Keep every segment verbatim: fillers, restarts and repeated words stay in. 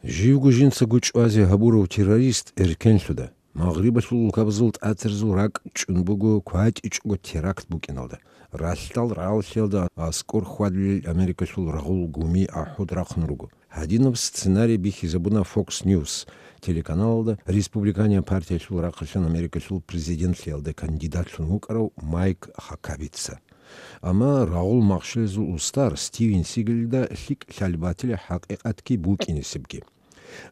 Живго жинцаго чӀвазе гьабурав террорист эркенлъуда. Магърибалъул улкабазул тӀатарзул ракӀ чӀун буго кватӀичӀого теракт букӀиналда. Ралъдал рагӀаллъиялда аскӀор хьвадулел Америкалъул рагъул гуми ахӀуд рахъун руго. Гьадинаб сценарий бихьизабуна Fox News телеканалалда республиканияб партиялъул рахъалъан Америкалъул президентлъиялда кандидатлъун вукӀарав Майк Хакабица. Амма рагъул махщелазул устар Стивен Сигелида лъикӀ лъалеб батила хӀакъикъатги букӀинесебги.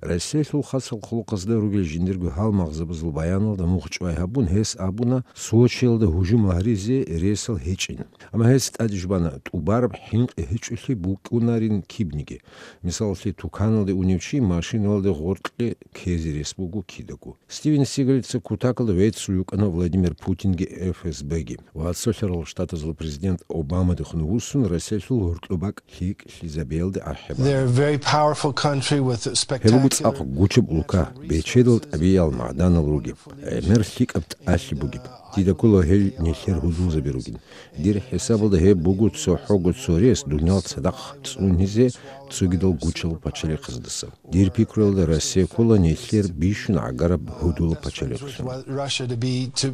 Россиялъул хасал хъулухъазда ругел жиндирго гьалмагъзабазул баяналда мухъ чӀвай гьабун, гьес абуна Сочиялда гьужум гьаризе ресал гьечӀин. Амма гьес тӀаде жубана, тӀубараб хӀинкъи гьечӀолъи букӀунарин кибниги. Мисалалъе, туканалде унев чи машиналде гъоркье ккезе рес буго кидаго. Стивен Сигелица кутакалда веццул вукӀана Владимир Путинги ФСБги. Ва Цолъарал Штатазул президент Обамадехун вуссун, Россиялъул гьоркьоб бакӀ лъикӀлъизабиялде ахӀи бана. They're a very powerful country with Гьеб буго spectacular цӀакъ гучаб улка, бечедал тӀабигӀиял магӀданал ругеб, гӀемер лъикӀаб тӀалъи бугеб. Дида ккола гьел нилъер гьудулзаби ругин. Дир хӀисабалда гьеб буго цохӀого цо рес дуниял цадахъ цӀунизе цогидал гучал пачалихъаздаса. Дир пикруялда Россия ккола нилъер бищун гӀагараб гьудулаб пачалихълъун. Russia to be, to,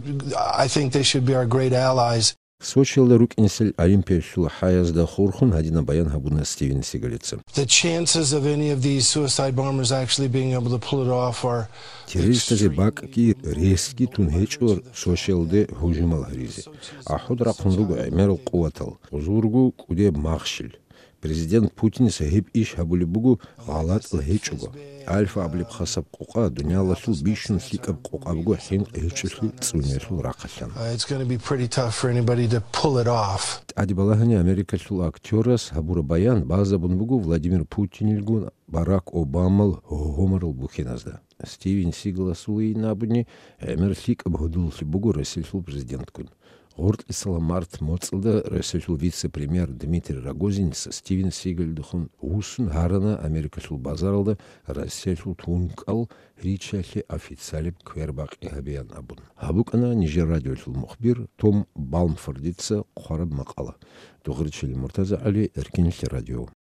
I think they should be our great allies. Сочиялда рукӀинсел Олимпиялъул хӀаязда хурхун гьадинаб баян гьабуна Стивен Сигалица. The chances of any of these suicide bombers actually being able to pull it off are Террористазе бакӀги ресги тун гьечӀо Сочиялде гьужумал гьаризе. АхӀуд рахъун руго гӀемерал къуватал, гъузул руго кӀудеб махщел. Президент Путиница гьеб иш гьабулеб буго гъалатӀал гьечӀого. Альфа абулеб хасаб къокъа дуниялалъул бищун лъикӀаб къокъа буго хӀинкъи гьечӀолъи цӀуниялъул рахъалъан. Uh, it's gonna be pretty tough for anybody to pull it off. ТӀаде балагьани Америкалъул актёрас гьабураб баян базабун буго Владимир Путинилгун Барак Обамал гьогьомарал бухьиназда. Стивен Сигаласулайин абуни, гӀемер лъикӀаб гьудуллъи буго Россиялъул президентгун. Гъоркьисала март моцӀалда Россиялъул вице-премьер Дмитрий Рогозинца Стивен Сигалдехун вуссун гьарана Америкалъул базаралда Россиялъул тункӀал риччалъе официалеб квербакъи гьабеян абун. Гьаб букӀана нижер радиолъул мухбир Том Балмфордица хъвараб макъала. Дугъричилин Муртаза ГӀали, Эркинлъи радио.